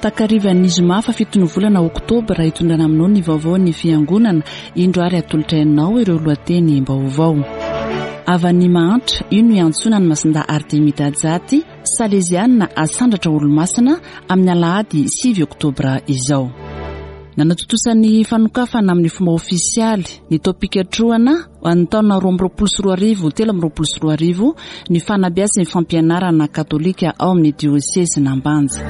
Takarivan'ny zoma fahafiton'ny volana oktobra hitondrana aminao ny vaovaon'ny fiangonana. Indro ary atolotra anao ireo lohateny-baovao. Havan'ny mahantra, io no iantsoana ny Masindahy Artemida Jaty, Saleziana asandratra olomasina amin'ny alahady 9 oktobra izao. Nanatontosa ny fanokafana amin'ny fomba ofisialy ny taom-pikatrohana ho an'ny taona 2022 2023 ny fanabeazana ny fampianarana katolika ao amin'ny diosezin'Ambanja.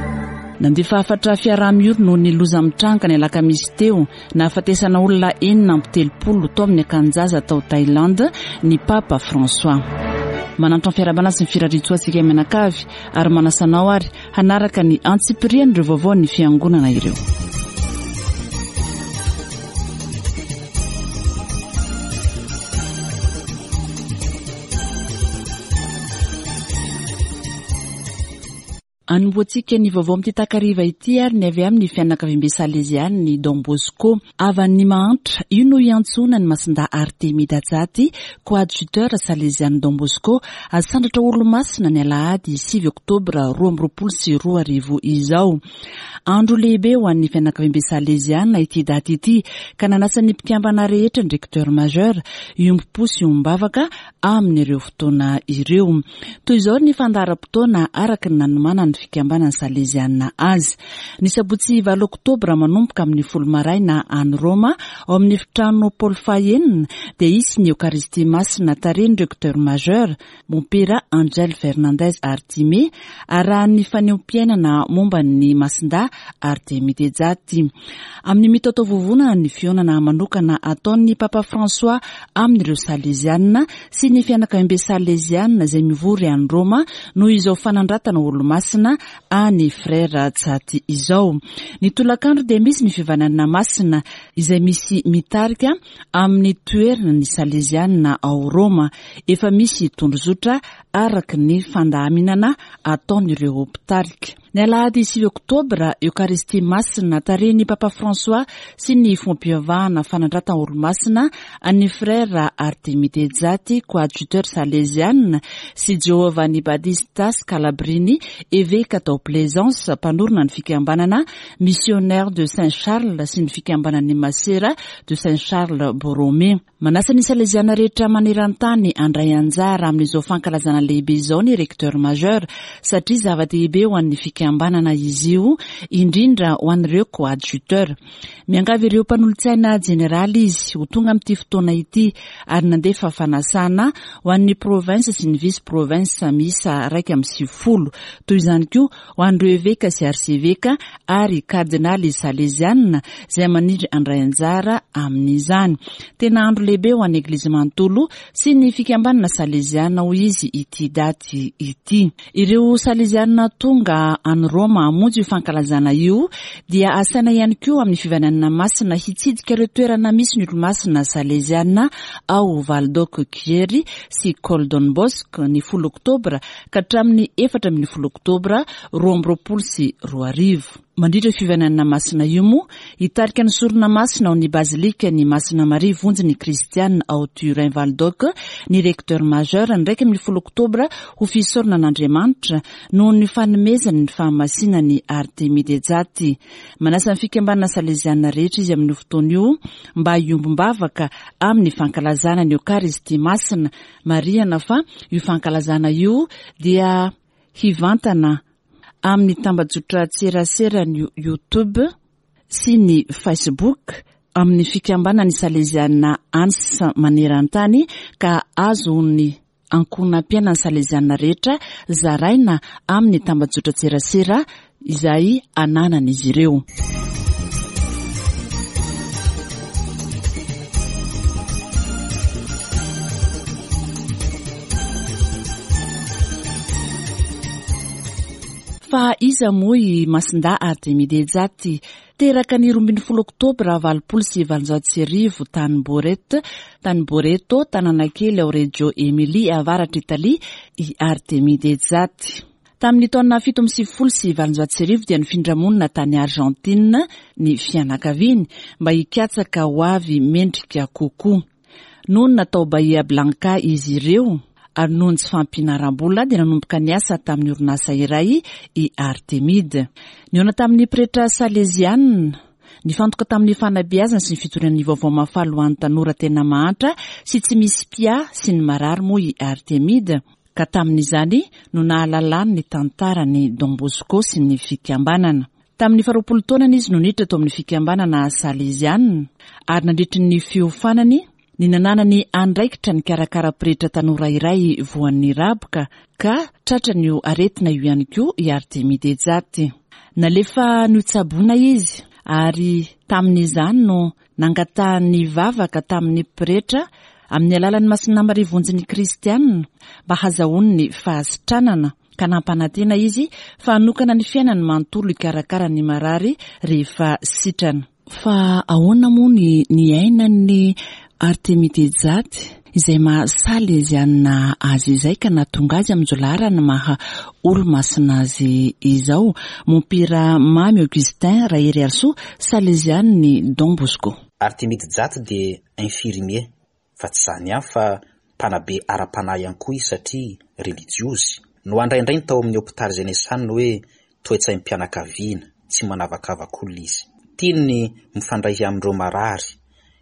Nandefa hafatra fiaraha-miory noho ny loza mitranga ny alakamisy teo Nahafatesana olona 36 tao amin'ny akanin-jaza tao Thaïlande ny Papa François. Manantona fiarahabana sy ny firariantsoa antsika mianakavy ary manasa anao ary hanaraka ny antsipirian'ireo vaovaon'ny Fiangonana ireo. Anombohantsika ny vaovao amin'ity takariva ity ary ny avy amin'ny fianakaviambe Salezian'ny Don Bosco. Havan'ny mahantra, io no iantsoana an'i Masindahy Artemida Jaty, coadjuteur Salezian'ny Don Bosco, asandratra Olomasina ny alahady 9 oktobra 2022 izao. Andro lehibe ho an'ny fianakaviambe Saleziana ity daty ity ka nanasa ny mpikambana rehetra ny Recteur Majeur hiombom-po sy hiombom-bavaka amin'ireo fotoana ireo. Toy izao ny fandaharam-potoana araka ny nanomanan'ny fikambanan'ny Saleziana azy. Ny sabotsy valo oktobra manomboka amin'ny folo maraina any Roma, ao amin'ny efitrano Paoly fahenina, dia hisy ny Eokaristia Masina tarihin'ny Recteur Majeur, Mompera Angel Fernandez Artime, arahan'ny fanehoam-piainana momba ny Masindahy Artemide Jatti. Amin'ny mitaotaovovonana ny fihaonana manokana ataon'ny Papa François amin'ireo Saleziana sy ny fianakaviambe Saleziana izay mivory any Roma noho izao fanandratana Olomasina any Frère Jatti izao. Ny tolakandro dia misy ny fivananana masina izay misy mitarika amin'ny toerana ny Saleziana ao Roma. Efa misy tondrozotra araka ny fandaminana ataon'ireo mpitarika. Ny alahady 9 oktobra, Eokaristia Masina tarihin'ny Papa François sy ny Fombam-pivavahana Fanandratana Olomasina an'ny Frère Artemide Jatti, coadjuteur Saleziana, sy Giovanni Battista Scalabrini, eveka tao Plaisance, mpanorina ny fikambanana Missionnaires de Saint Charles sy ny fikambanan'ny Masera de Saint Charles Borromée. Manasa ny Saleziana rehetra maneran-tany handray anjara amin'izao fankalazana lehibe izao ny Recteur Majeur satria zava-dehibe ho an'ny fikambanana izy io, indrindra ho an'ireo coadjuteur. Miangavy ireo mpanolotsaina jeneraly izy ho tonga amin'ity fotoana ity ary nandefa fanasana ho an'ny province sy ny vice province miisa 91. Toy izany koa ho an'ireo eveka sy arseveka ary kardinaly salezianina izay maniry handray anjara amin'izany. Tena andro lehibe ho an'ny Eglizy manontolo sy ny fikambanana saleziana hoy izy ity daty ity. Ireo salezianina tonga any Roma hamonjy io fankalazana io dia asaina ihany koa amin'ny fivananana masina hitsidika ireo toerana misy ny olomasina saleziana ao Valdocco Chieri sy Col Don Bosco ny folo oktobra ka hatramin'ny 14 oktobra 2022. Mandritra io fivananana masina io moa, hitarika ny sorona masina ao ny Bazilikan'i Masina Maria Vonjy ny Kristiana ao Turin Val d'Oc ny Recteur Majeur ny 11 oktobra ho fisaorana an'Andriamanitra noho ny fanomezany ny fahamasinan'i Artemide Jatti. Manasa ny fikambanana saleziana rehetra izy amin'io fotoana io mba hiombom-bavaka amin'ny fankalazana ny Eokaristia Masina Marihana fa io fankalazana io dia hivantana amin'ny tambajotran-tseraseran'ny YouTube sy ny Facebook amin'ny fikambanan'ny Saleziana ans maneran-tany ka azon'ny ankohonam-piainan'ny Saleziana rehetra zaraina amin'ny tambajotran-tserasera izay ananan'izy ireo. Fa iza moa i Masindahy Artemide Jatti? Teraka ny 12 Oktobra 1880 tany Boret, tany Boreto, tanàna kely ao Reggio Emilia, avaratr'Italia, i Artemide Jatti. Tamin'ny taona 1897 dia nifindra monina tany Argentine ny fianakaviany mba hikatsaka ho avy mendrika kokoa. Nonina tao Bahia Blanca izy ireo Ary noho ny tsy fahampiana ara-bola dia nanomboka niasa tamin'ny orinasa iray i Artemide. Nihaona tamin'ny pretra salezianina, nifantoka tamin'ny fanabeazana sy ny fitoriana ny vaovao mahafaly ho an'ny tanora tena mahantra sy tsy misy mpiahy sy ny marary moa i Artemide, ka tamin'izany no nahalalany ny tantaran'i Don Bosco sy ny fikambanana. Tamin'ny faharoapolo taonany izy no niditra tao amin'ny fikambanana salezianina, ary nandritry ny fiofanany, ny nananany andraikitra nikarakara pretra tanora iray voan'ny raboka ka tratran'io aretina io ihany koa i Artemide Jaty. Nalefa notsaboina izy ary tamin'izany no nangatahany vavaka tamin'ny pretra amin'ny alalan'ny Masina Maria Vonjin'ny Kristianina mba hazahoany ny fahasitranana ka nampanantena izy fa hanokana ny fiainany manontolo hikarakara ny marary rehefa sitrana. Fa ahoana moa ny niainan'i Artemide Jaty izay maha Salezianina azy izay ka nahatonga azy amin'izao laharana maha olomasina azy izao? Mompera Mamy Augustin Raheriarisoa, Salezianin'i Don Bosco. Artemide Jaty dia infirmier, fa tsy izany ihany fa mpanabe ara-panahy ihany koa izy satria relijiozy. Nohandraindrainy tao amin'ny hopitaly izay niasany ny hoe toe-tsaim-pianakaviana, tsy manavakavak'olona izy. Tiany ny mifandray amin'ireo marary.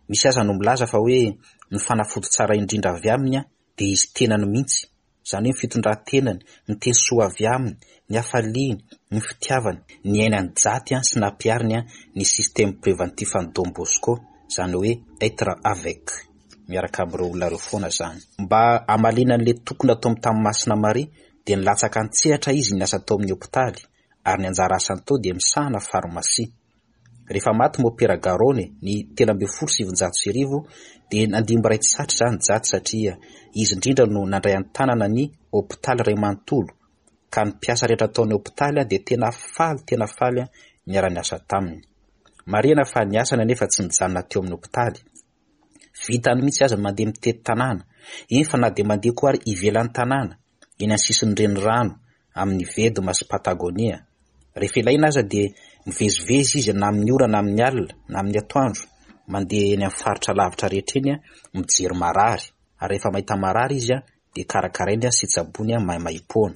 Misy aza no milaza fa hoe ny fanafody tsara indrindra avy aminy dia izy tenany mihitsy, izany hoe ny fitondran-tenany, ny teny soa avy aminy, ny hafaliany, ny fitiavany. Niainan'i Jaty sy nampihariny ny système préventif an'i Don Bosco, izany hoe être avec, miaraka amin'ireo olona ireo foana izany. Mba hamaliana an'ilay toky nataony tamin'i Masina Maria dia nilatsaka an-tsehatra izy niasa tao amin'ny hopitaly ary ny anjara asany tao dia misahana farmasia. Rehefa maty Mopera Garone ny 1913 dia nandimby iray tsy satry izany Jaty satria izy indrindra no nandray an-tanana ny hopitaly iray manontolo ka ny mpiasa rehetra tao amin'ny hopitaly dia tena faly tena faly niara-niasa taminy. Marihana fa ny asany anefa tsy nijanona teo amin'ny hopitaly. Vitany mihitsy aza ny mandeha mitety tanàna, eny fa na dia mandeha koa ary ivelan'ny tanàna, eny amin'ny sisin'ny renirano, amin'ny Vedma sy Patagonia. Rehefa ilaina aza dia mivezivezy izy na amin'ny ora na amin'ny alina, na amin'ny atoandro, mandeha eny amin'ny faritra lavitra rehetra eny mijery marary, ary rehefa mahita marary izy dia karakarainy sy tsaboiny maimaimpoana.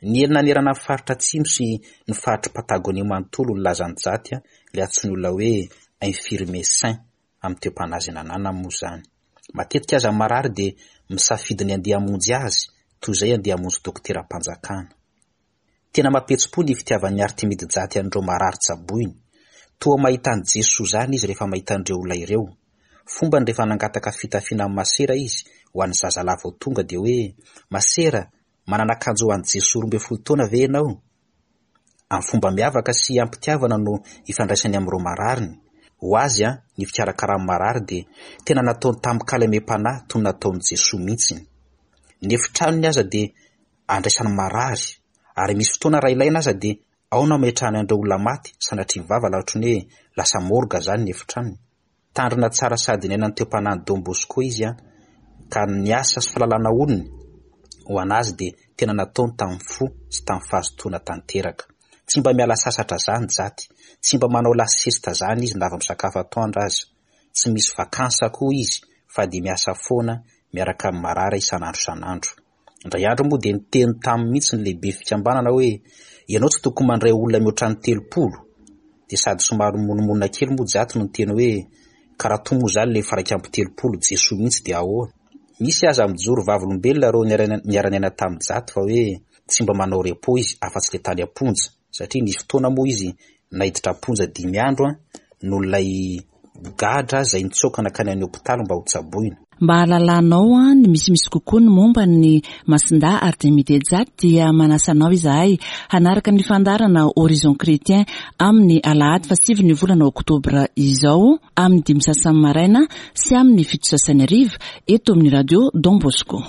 Niely nanerana ny faritra atsimo sy ny faritr'i Patagonia manontolo ny lazan'i Jaty, ilay antsoin'ny olona hoe infirmier saint amin'ny toe-panahy izay nananany moa izany. Matetika aza ny marary dia misafidy ny handeha hamonjy azy toy izay handeha hamonjy dokoteram-panjakana. Tena mampihetsi-po ny fitiavan'i Artemide Jaty an'ireo marary tsaboiny. Toa mahita an'i Jesoa izany izy rehefa mahita an'ireo olona ireo. Fombany rehefa nangataka fitafiana amin'i Masera izy ho an'ny zazalahy vao tonga dia hoe, Masera, Manana akanjo ho an'i Jesoa 12 taona ve ianao? Amin'ny fomba miavaka sy am-pitiavana no ifandraisany amin'ireo marariny. Ho azy, ny fikarakarany marary dia tena nataony tamin-kalemem-panahy toy ny nataon'i Jesoa mihitsy. Ny efitranony aza dia andraisany marary, ary misy fotoana raha ilaina aza dia ao no ametrahany an'ireo olona maty, sanatria vava la ohatran'ny hoe lasa morgue izany ny efitranony. Tandrina tsara sady niaina ny toe-panahin'i Don Bosco izy ka ny asa sy fahalalana olony ho an'azy dia tena nataony tamin'ny fo sy tamin'ny fahazotoana tanteraka. Tsy mba miala sasatra zany Jaty, tsy mba manao la sieste zany izy na vao misakafo atoandro aza. Tsy misy vacances koa izy fa dia miasa foana miaraka amin'ny marary isan'andro isan'andro. Indray andro moa dia niteny taminy mihitsy ny lehibe fikambanana hoe ianao tsy tokony mandray olona mihoatra ny 30. Dia sady somary mimonomonona kely moa Jaty no niteny hoe ka raha toa moa izany ilay efa 31 Jesoa mihitsy dia ahoana? Misy aza mijoro vavolombelona ireo niara-niaina tamin'i Jaty fa hoe tsy mba manao repos izy afa-tsy ilay tany am-ponja satria nisy fotoana moa izy naiditra am-ponja dimy andro noho ilay gadra izay nitsoaka nankany amin'ny hopitaly mba hotsaboina. Mba hahalalanao ny misimisy kokoa ny momba ny Masindahy Artemide Jaty dia manasa anao izahay hanaraka ny fandaharana Horizon Chrétien amin'ny alahady fahasivy ny volana oktobra izao amin'ny dimy sasany maraina sy amin'ny fito sasany hariva eto amin'ny Radio Don Bosco.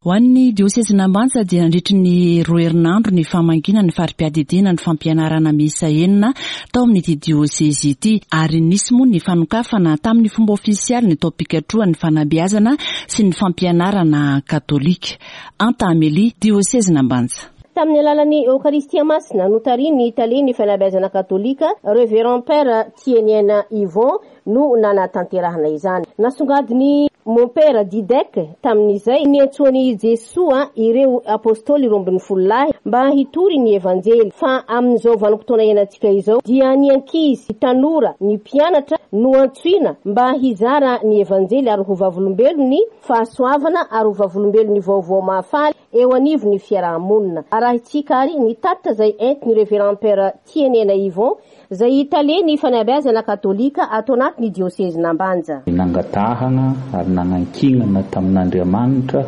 Ho an'ny diosezin'Ambanja dia nandritry ny roa herinandro ny famangiana ny fari-piadidiana ny fampianarana miisa enina tao amin'ity diosezy ity ary nisy moa ny fanokafana tamin'ny fomba ofisialy ny taom-pikatrohan'ny fanabeazana sy ny fampianarana katolika. Anta Amélie, diosezin'Ambanja. Tamin'ny alalan'ny Eokaristia Masina notarihin'ny Talen'ny Fanabeazana Katolika, Révérend Père Tieniaina Yvon, no nanatanterahana izany. Nasongadin'i Mompera Didek tamin'izay niantsoan'i Jesoa ireo Apostoly 12 lahy mba hitory ny Evanjely, fa amin'izao vanim-potoana iainantsika izao dia ny ankizy, tanora, ny mpianatra no antsoina mba hizara ny Evanjely ary ho vavolombelon'ny fahasoavana ary ho vavolombelon'ny vaovao mahafaly eo anivon'ny fiaraha-monina. Arahintsika ary ny tatitra izay entin'ny Révérend Père Tienena Yvon izay tale ny fanabeazana katolika ato anatin'ny diosezin'Ambanja. Nangatahana ary nanankinana tamin'Andriamanitra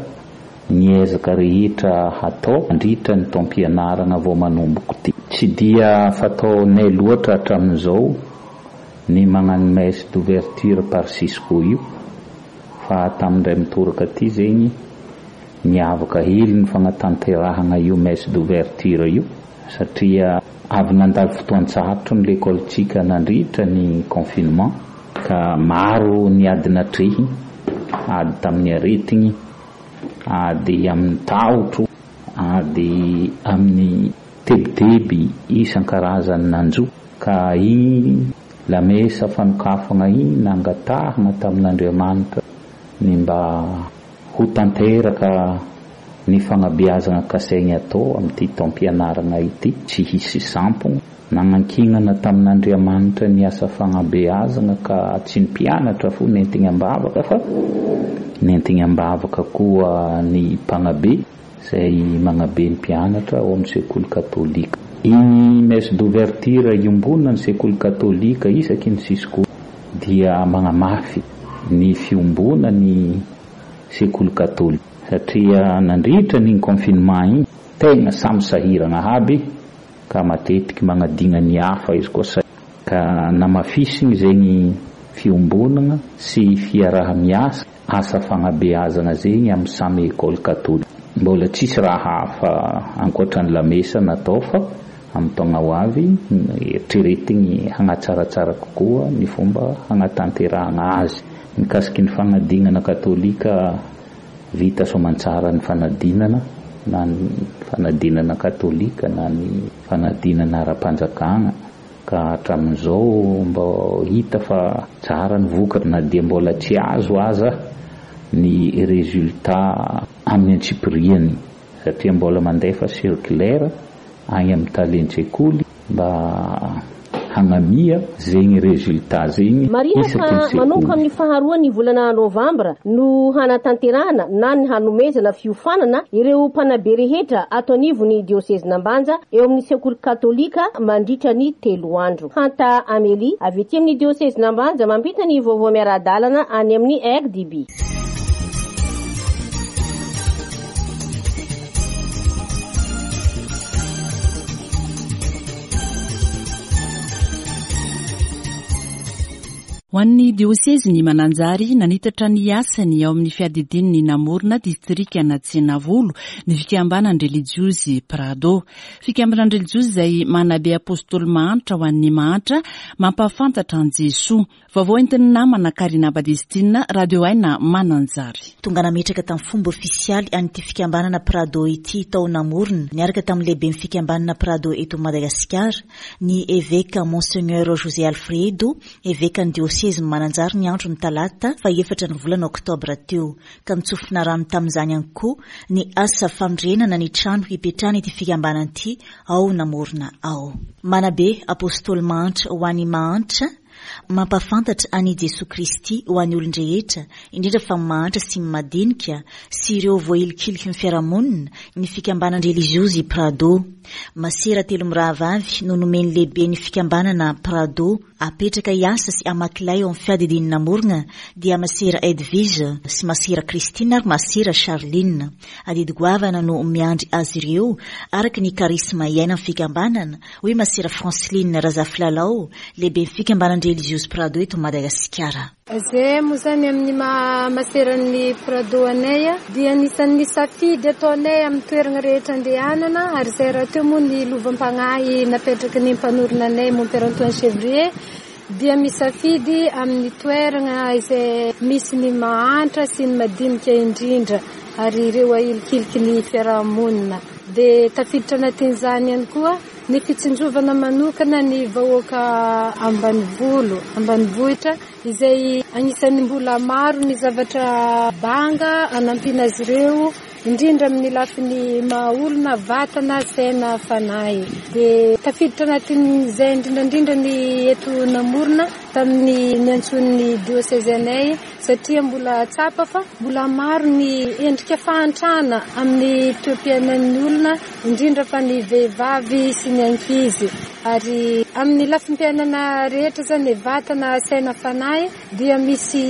ny ezaka rehetra hatao mandritra ny taom-pianarana vao manomboka ity. Tsy dia fataonay loatra hatramin'izao ny magnano messe d'ouverture par Cisco io fa tamin'indray mitoraka ity zegny niavaka hely ny fagnatanterahagna io messe d'ouverture io satria avy nandalo fotoan-tsarotro ny lekolintsika nandritra ny confinement ka maro ny ady natrehiny, ady tamin'ny aretigny, ady amin'ny tahotro, ady amin'ny tebiteby isan-karazany nanjo ka igny lamesa fanokafagna igny nangatahagna tamin'Andriamanitra ny mba Ho tanteraka ny fagnabeazagna kasaigny atao amin'ity taom-pianaragna ity, tsy hisy sampogno. Nagnankignana tamin'Andriamanitra ny asa fagnabeazagna ka tsy ny mpianatra fo nentigny am-bavaka fa nentigny am-bavaka koa ny mpagnabe izay magnabe ny mpianatra ao amin'ny sekoly katolika. Igny messe d'ouverture iombonan'ny sekoly katolika isaky ny Cisco dia magnamafy ny fiombonan'ny sekoly katolika satria nandritra an'igny confinement igny tegna samy sahiragna aby ka matetiky magnadigna ny hafa izy koa sa ka namafisigny zegny fiombonagna sy fiaraha-miasa asa fagnabeazagna zegny amy samy école katolika. Mbola tsisy raha hafa ankoatra ny lamesa natao fa amin'ny taogna ho avy eritreretigny hagnatsaratsara kokoa ny fomba hagnatanterahagna azy. Mikasiky ny fagnadignana katolika, vita soamantsara ny fanadinana, na ny fanadinana katolika na ny fanadinana ara-panjakagna, ka hatramin'izao mbô hita fa tsara ny vokatra na dia mbola tsy azo aza ny résultat amin'ny antsipiriany satria mbola mandefa circulaire agny amin'ny talen-tsekoly mba hagnamia zegny résultat zegny Marihina isaky fa ny sekoly. manomboka amin'ny faharoa ny volana novambra no hanatanterahana na ny hanomezana fiofanana ireo mpanabe rehetra ato anivon'ny diosezin'Ambanja eo amin'ny sekoly katolika mandritra ny telo andro. Hanta Amélie avy ety amin'ny diosezin'Ambanja mampita ny vaovao miara-dalana any amin'ny RDB. Ho an'ny diosezin'i Mananjary, nanitatra ny asany ao amin'ny fiadidian'ny namorona distrikan'Antsenavolo ny fikambanan-drelijiozy Prado. Fikambanan-drelijiozy izay manabe apostoly mahantra ho an'ny mahantra, mampahafantatra an'i Jesoa. Vaovao entin'ny namana Karina Badestina, Radio Aina Mananjary. Tonga nametraka tamin'ny fomba ofisialy an'ity fikambanana Prado ity tao Namorona, niaraka tamin'ny lehiben'ny fikambanana Prado eto Madagasikara, ny Eveka Monseigneur José Alfredo, Evekan'ny diosezin'i Mananjary ny andron'ny talata fahefatra ny volana oktobra teo, ka nitsofina rano tamin'izany ihany koa ny asa fanorenana ny trano hipetrahan'ity fikambanana ity ao Namorona ao. Manabe Apostoly mahantra ho an'ny mahantra, Mampahafantatra an'i Jesoa Kristy ho an'ny olon-drehetra, indrindra fa ny mahantra sy ny madinika, sy ireo voahilikiliky ny fiarahamonina, ny fikambanan-drelijiozy Prado. Masera telo mirahavavy no nomen'ny lehiben'ny fikambanana Prado apetraka hiasa sy hamaky lay ao amin'ny fiadidian'i Namorogna, dia Masera Edwige sy Masera Christine ary Masera Charline. Adidy goavana no miandry azy ireo, araka ny karisma iainan'ny fikambanana, hoy Masera Franceline Razafilalao, lehiben'ny fikambanan-drelijiozy Prado eto Madagasikara. Izay moa izany amin'ny maha maseran'ny Prado anay dia anisan'ny safidy ataonay amin'ny toerana rehetra andehanana ary izay rahateo moa ny lovam-pagnahy napetraky ny mpanorina anay Mompera Antoine Chevrier dia misafidy amin'ny toerana izay misy ny mahantra sy ny madinika indrindra ary ireo ahilikiliky ny fiarahamonina. Dia tafiditra anatin'izany ihany koa ny fitsinjovana manokana ny vahoaka ambanivolo, ambanivohitra izay anisan'ny mbola maro ny zavatra banga anampiana azy ireo indrindra amin'ny lafiny maha olona, vatana, saina, fanahy. Dia tafiditra anatin'izay indrindra indrindra ny eto Namorona tamin'ny niantsoan'ny diosezy anay satria mbola tsapa fa mbola maro ny endrika fahantrana amin'ny toe-piainan'ny olona indrindra fa ny vehivavy sy ny ankizy ary amin'ny lafim-piainana rehetra izany vatana, saina, fanahy dia misy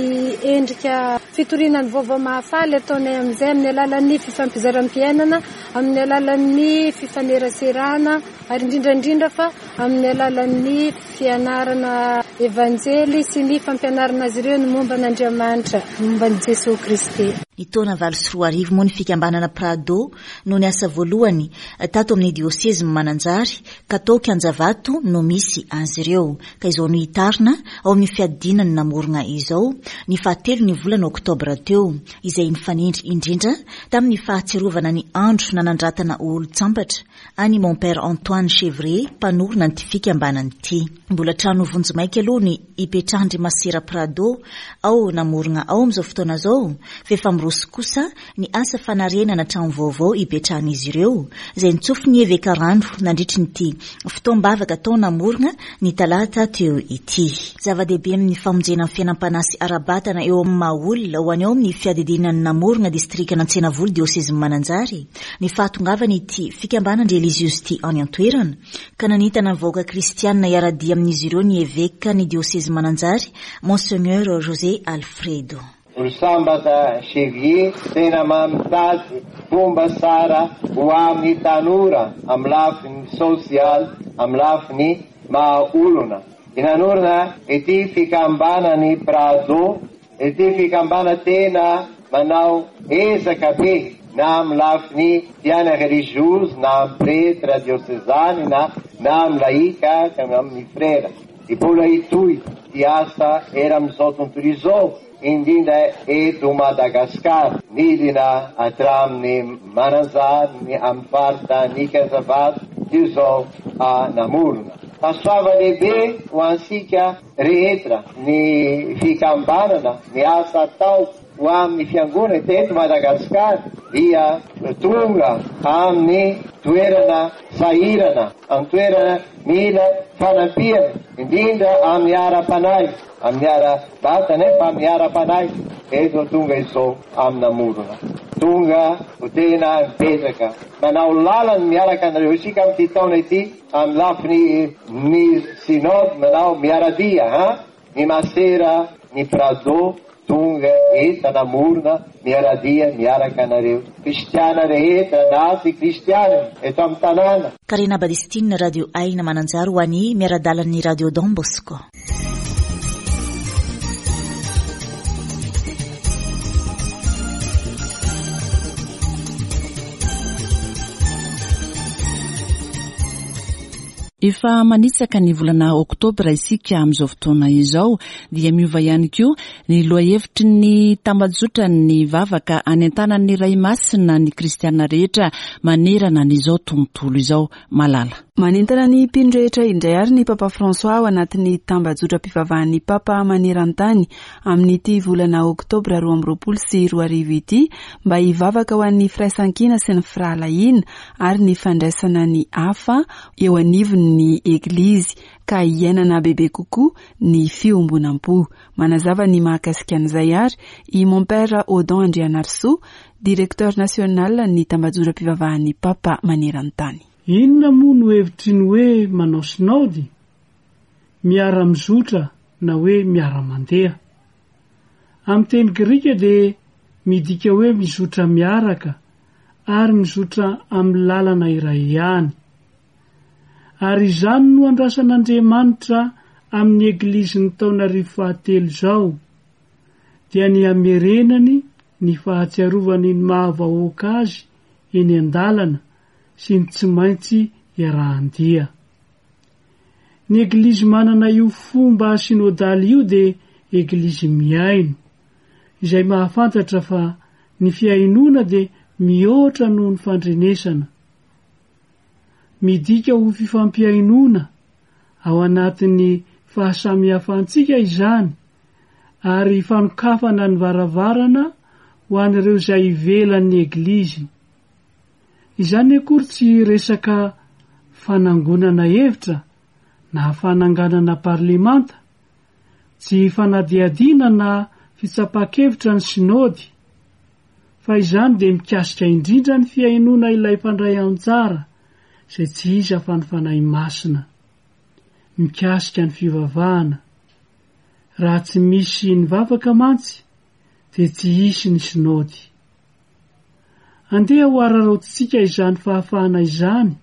endrika fitoriana ny vaovao mahafaly ataonay amin'izay amin'ny alalan'ny fifampizaram-piainana, amin'ny alalan'ny fifaneraserana ary indrindra indrindra fa amin'ny alalan'ny fianarana Evanjely sy ny fampianarana azy ireo ny momba an'Andriamanitra, momba an'i Jesoa Kristy. Ny taona 2008 moa ny fikambanana Prado no niasa voalohany tato amin'ny diosezin'i Mananjary ka tao Kianjavato no misy azy ireo ka izao nohitarina ao amin'ny fiadiana ny namorona izao ny fahatelo ny volana oktobra teo izay nifanindry indrindra tamin'ny fahatsiarovana ny andro nanandratana ho olon-tsambatra an'i Mon Père Antoine Chevrier mpanorina an'ity fikambanana ity. Mbola trano vonjimaika aloha ny ipetrahan-dry Masera Prado ao Namorogna ao amin'izao fotoana izao fa efa miroso kosa ny asa fanarenana trano vaovao ipetrahan'izy ireo izay notsofin'ny Eveka rano nandritry ny ity fotoam-bavaka tao Namorogna ny talata teo ity. Zava-dehibe amin'ny famonjena ny fiainam-panahy sy ara-batana eo amin'ny maha olona ho an'ny ao amin'ny fiadidiana ny Namorogna distrikan'Antsenavola diosezin'i Mananjary ny fahatongavan'ity fikambanan-drelijiozy ity any an-toerana ka nanentana ny vahoaka kristianina hiara-dia amin'izy ireo ny Eveka ny diosezy Mananjary Monseigneur José Alfredo. Ry sambatra Chevier tena mamitady fomba tsara ho amin'ny tanora amin'ny lafiny sosialy, amin'ny lafiny maha olona. I nanorina ity fikambanan'ny Prado Ity fikambana tena manao ezaka be na amin'ny lafiny fiainana religiozy na amin'ny pretra diosezany na na amin'ny laika ka amin'ny frera. Mbola hitohy ity asa eran'izao tontolo izao indrindra eto Madagascar. Nidina hatramin'ny Mananjary ny amin'ny faritany Ikazavato izao namorona. Fahasoavana lehibe ho antsika rehetra ny fikambanana, ny asa atao ho amin'ny fiangonana teto Madagasikara dia tonga amin'ny toerana sahirana, amin'ny toerana mila fanampiana, indrindra amin'ny ara-panahy, amin'ny ara-batana fa amin'ny ara-panahy, eto tonga izao amin'ny namorona. Tonga ho tena mipetraka manao lalana miaraka anareo isika amin'ity taona ity. Amin'ny lafiny ny synode manao miara-dia ha ny masera ny prado tonga eta namorona miara-dia miaraka anareo kristiana rehetra na tsy kristiana eto amin'ny tanàna. Karina Badistine Radio Aina Mananjary ho an'ny miara-dalan'ny Radio Don Bosco. Efa manitsaka ny volana oktobra isika amin'izao fotoana izao dia miova ihany koa ny lohahevitry ny tambajotran'ny vavaka anentanan'ny Ray Masina ny kristiana rehetra manerana an'izao tontolo izao. Malala. Manentana ny mpino rehetra indray àry ny Papa François ao anatin'ny tambajotram-pivavahan'ny Papa maneran-tany amin'ity volana oktobra 2022 ity mba hivavaka ho an'ny firaisankina sy ny firahalahiana ary ny fandraisana ny hafa eo anivon'ny Eglizy ka hiainana bebe kokoa ny fiombonam-po. Manazava ny mahakasika an'izay àry i Mompera Odon Andrianarisoa, Directeur national ny tambajotram-pivavahan'ny Papa maneran-tany. Inona moa no hevitry ny hoe manao sinaody? Miara-mizotra na hoe miara-mandeha. Amin'ny teny grika dia midika hoe mizotra miaraka ary mizotra amin'ny lalana iray ihany. Ary izany no andrasan'Andriamanitra amin'ny Eglizin'ny taonarivo fahatelo izao, dia ny hamerenany ny fahatsiarovany ny maha vahoaka azy eny an-dalana sy ny tsy maintsy iarahan-dia. Ny Eglizy manana io fomba synodaly io dia Eglizy mihaino, izay mahafantatra fa ny fihainoana dia mihoatra noho ny fandrenesana. Midika ho fifampihainoana ao anatin'ny fahasamihafantsika izany ary fanokafana ny varavarana ho an'ireo izay ivelan'ny Eglizy. Izany akory tsy resaka fanangonana hevitra na fananganana parlemanta, tsy fanadihadiana na fitsapan-kevitra ny Sinody, fa izany dia mikasika indrindra ny fihainoana ilay mpandray anjara izay tsy iza fa ny Fanahy Masina. Mikasika ny fivavahana. Raha tsy misy ny vavaka mantsy dia tsy hisy ny Sinody. Andeha ho araraotintsika izany fahafahana izany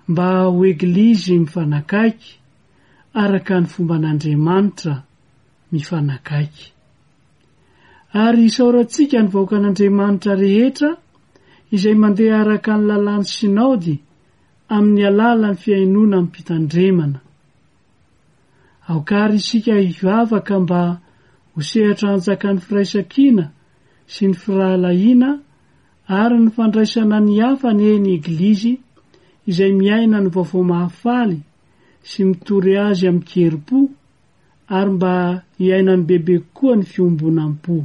mba ho Eglizy mifanakaiky araka ny fomban'Andriamanitra mifanakaiky. Ary isaorantsika ny vahoakan'Andriamanitra rehetra izay mandeha araka ny lalàn'ny Sinaody amin'ny alalan'ny fihainoana amim-pitandremana. Aoka àry isika hivavaka mba ho sehatra hanjakan'ny firaisankina sy ny firahalahiana ary ny fandraisana ny hafa anie ny Eglizy izay miaina ny Vaovao Mahafaly sy mitory azy amin-kerim-po ary mba hiainany bebe kokoa ny fiombonam-po.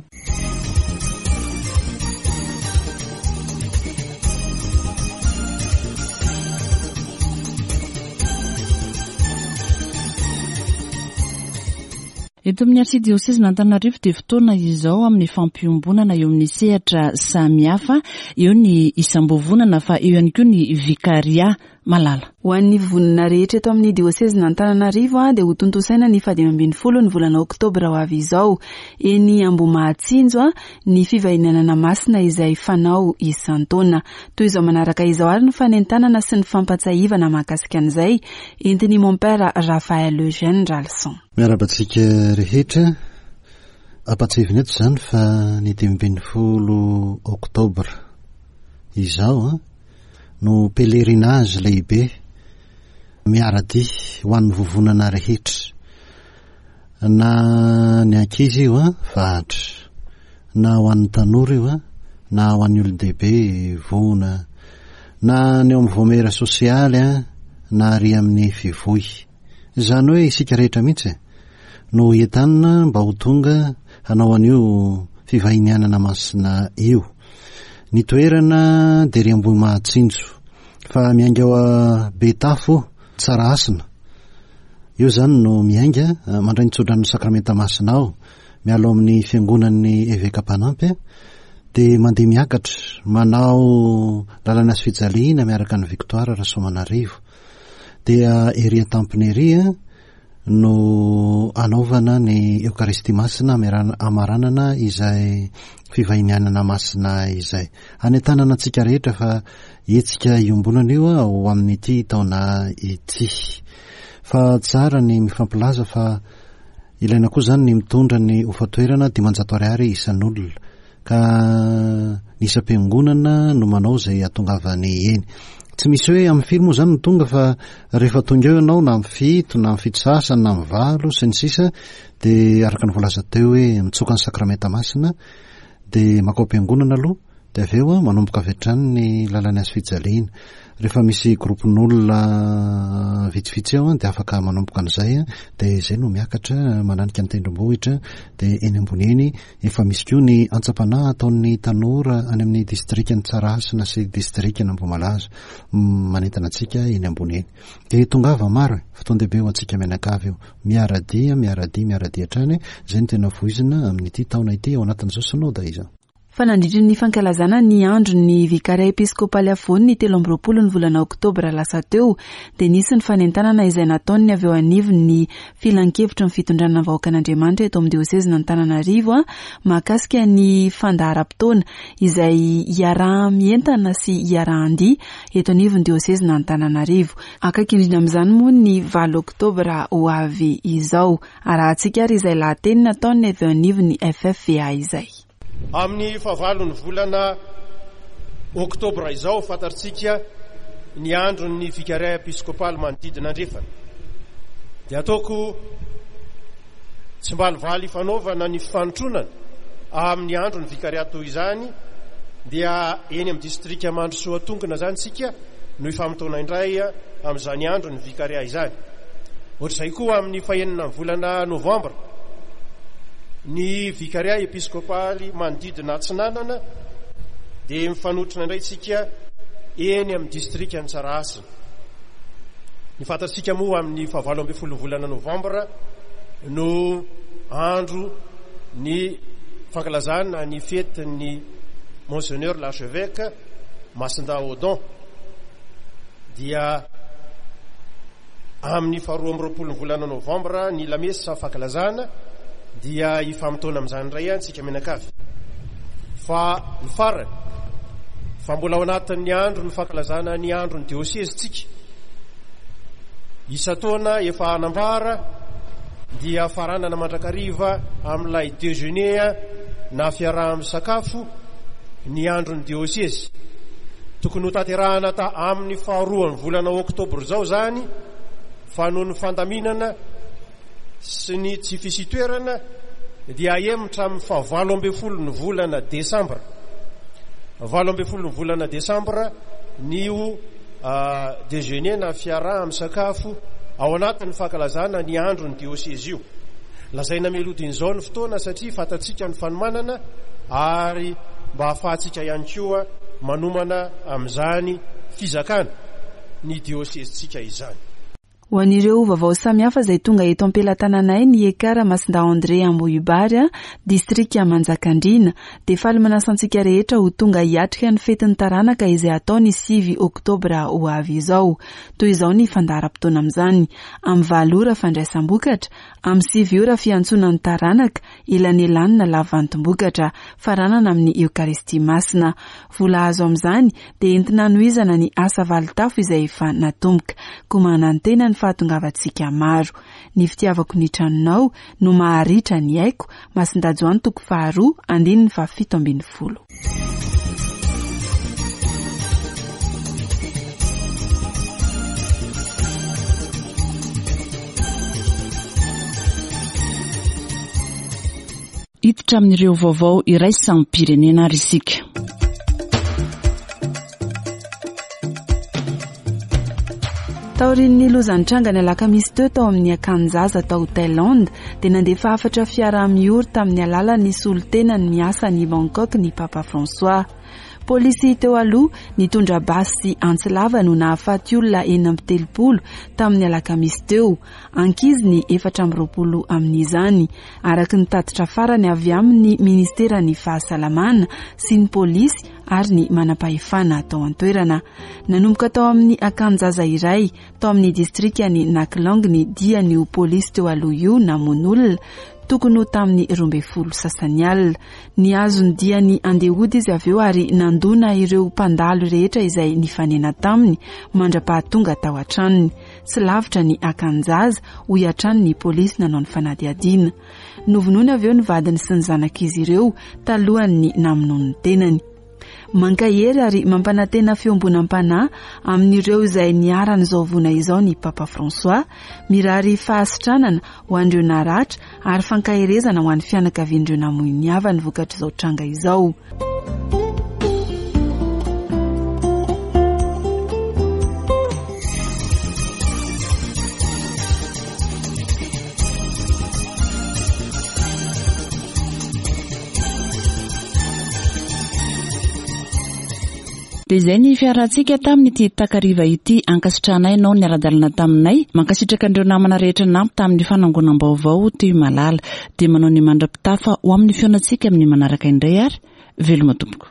Eto amin'ny Arsidiosezin'Antananarivo dia fotoana izao amin'ny fampiombonana eo amin'ny sehatra samihafa, eo ny isam-bovonana fa eo ihany koa ny vikaria. Malala. Ho an'ny vonona rehetra eto amin'ny diosezin'Antananarivo dia ho tontosaina ny faha 15 ny volana oktobra ho avy izao, eny Ambohimahatsinjo, ny fivahinianana masina izay fanao isan-taona. Toy izao manaraka izao ary ny fanentanana sy ny fampatsiahivana mahakasika an'izay, entin'i Mompera Raphaël Eugène Ralison. Miarahaba antsika rehetra. Ampatsiahivina eto izany fa ny 15 oktobra izao no pèlerinage lehibe miara-dia ho an'ny vovonana rehetra, na ny ankizy io an, vahatra, na ho an'ny tanora io an, na ho an'ny olon-dehibe vohona, na ny ao amin'ny vaomiera sosialy an, na ary amin'ny fivoy. Izany hoe isika rehetra mihitsy e, no entanina mba ho tonga hanao an'io fivahinianana masina io. Ny toerana dia ery Ambohimahatsinjo fa miainga ao Betafo Tsarahasina. Eo izany no miainga, mandray ny tsodran'ny sakramenta masina ao, miala ao amin'ny fiangonan'ny eveka mpanampy dia mandeha miakatra manao lalana sy fijaliana miaraka ny Victoire Rasoamanarivo. Dia ery an-tampony ery no anaovana ny Eokaristia Masina amaranana izay fivahinianana masina izay. Anentanana antsika rehetra fa hetsika iombonana io ho amin'ity taona ity. Fa tsara ny mifampilaza fa ilaina koa izany ny mitondra ny hofan-toerana 500 ariary isan'olona. Ka ny isam-piangonana no manao izay hahatongavany eny. Tsy misy hoe amin'ny firy moa izany no tonga fa rehefa tonga eo ianao na amin'ny fito na amin'ny fito sasany na amin'ny valo sy ny sisa dia araka ny voalaza teo hoe mitsoka ny sakramenta masina dia makao am-piangonana aloha dia avy eo manomboka avy hatrany ny lalan'ny hazo fijaliana. Rehefa misy groupe-n'olona vitsivitsy eo dia afaka manomboka an'izay dia izay no miakatra mananika ny tendrombohitra dia eny ambony eny Efa misy koa ny antsam-panahy ataon'ny tanora any amin'ny distrikan'i Tsarahasina sy distrikan'Ambohimalaza manentana antsika eny ambony eny. Dia tongava maro e! Fotoan-dehibe ho antsika mianakavy io. Miara-dia, miara-dia, miara-dia hatrany. Izay no tena voizina amin'ity taona ity ao anatin'izao Synoda izao. Fa nandritry ny fankalazana ny andron'ny Vikaria Episkopaly Afovoany ny 23 ny volana oktobra lasa teo dia nisy ny fanentanana izay nataon'ny avy eo anivon'ny Filankevitry ny Fitondrana ny Vahoakan'Andriamanitra eto amin'ny Diosezin'Antananarivo mahakasika ny fandaharam-potoana izay iaraha-mientana sy iarahan-dia eto anivon'ny Diosezin'Antananarivo. Akaiky indrindra amin'izany moa ny valo oktobra ho avy izao. Arahantsika ary izay lahateny nataon'ny avy eo anivon'ny FFVA izay. Amin'ny fahavalon'ny volana oktobra izao, fantatrtsika ny andron'ny Vikaria Episkopaly manodidina andrefana. Dia ataoko tsimbalivaly ifanaovana ny fifanontronana amin'ny andron'ny Vikaria toy izany, dia eny amin'ny distrika Mandrosoatongona izany isika. no hifamotoana indray amin'izany andron'ny Vikaria izany. Ohatr'izay koa amin'ny fahenina ny volana novambra, ny Vikaria episkopaly manodidina Atsinanana dia mifanotrona indray isika eny amin'ny distrikan'i Tsarahasina. Ny fantatsika moa amin'ny fahavalo ambin'ny folo volana novambra no andro ny fankalazana ny fetin'ny Monseigneur l'archevêque Masindahy Odon dia amin'ny faharoa amby roapolo ny volana novambra ny lamesa fankalazana dia hifamotoana amin'izany indray antsika mianakavy fa ny farany fa mbola ao anatin'ny andro ny fankalazana ny andro ny diosezy tsika isan-taona efa hanambara dia faranana mandrakariva amin'ilay déjeuner na fiaraha-misakafo ny andron'ny diosezy. Tokony hotanterahana ta amin'ny faharoan'ny volana oktobra izao izany fa noho ny fandaminana sy ny tsy fisian-toerana dia ahemotra amin'ny fahavalo ambin'ny folon'ny volana desambra. 18 ny volana desambra ny ho déjeuner na fiaraha-misakafo ao anatin'ny fankalazana ny andron'ny diosezy io. Lazaina mialoha ny fotoana satria fantatsika ny fanomanana ary mba hahafahantsika ihany koa manomana amin'izany fizakana ny diosezintsika izany. Ho an'ireo vaovao samihafa izay tonga eto am-pelatananay ny Ekar Masindahy André Ambohibary, distrika Manjakandriana, dia faly manasa antsika rehetra ho tonga hiatrika ny fetin'ny taranaka izay hatao ny 9 oktobra ho avy izao. Toy izao ny fandaharam-potoana amin'izany, amin'ny 8 ora fandraisam-bokatra, amin'ny 9 ora fiantsoana ny taranaka, elanelanina lavantim-bokatra, faranana amin'ny Eokaristia Masina. Vola azo amin'izany dia entina hanohizana ny asa valintafo izay efa natomboka. Koa manantena ny fahatongavantsika maro. Ny fitiavako ny tranonao no maharitra ny aiko, Masindahy Joany toko faharoa, andininy faha 17. Hiditra amin'ireo vaovao iraisam-pirenena ary isika. Taorian'ny loza nitranga ny alakamisy teo tao amin'ny akanin-jaza tao Thaïlande dia nandefa hafatra fiaraha-miory tamin'ny alalan'ny solontenany miasa any Bangkok ny Papa François. Polisy teo aloha nitondra basy sy antsy lava no nahafaty olona 36 tamin'ny alakamisy teo. Ankizy ny 24 amin'izany, araka ny tatitra farany avy amin'ny ministeran'ny fahasalamana sy ny polisy ary ny manampahefana tao an-toerana. Nanomboka tao amin'ny akanin-jaza iray tao amin'ny distrikan'i Naklang ny dian'io polisy teo aloha io namono olona, tokony ho tamin'ny 12 sasany alina. Nihazo ny diany handeha hody izy avy eo ary nandona ireo mpandalo rehetra izay nifanena taminy mandra-pahatonga tao an-tranony. Tsy lavitra ny akanin-jaza, hoy hatrany ny polisy nanao ny fanadihadiana. Novonoina avy eo ny vadiny sy ny zanak'izy ireo talohan'ny namonoany ny tenany. Mankahery ary mampanantena fiombonam-panahy amin'ireo izay niharan'izao voina izao ny Papa François. Mirary fahasitranana ho an'ireo naratra ary fankaherezana ho an'ny fianakavian'ireo namoy ny havany vokatr'izao tranga izao. Dia izay ny fiarahantsika tamin'ity takariva ity. Ankasitrahanay ianao niara-dalana taminay. Mankasitraka an'ireo namana rehetra nampy tamin'ny fanangonam-baovao toy malala. Dia manao ny mandra-pitafa ho amin'ny fihaonantsika amin'ny manaraka indray ary veloma tompoko.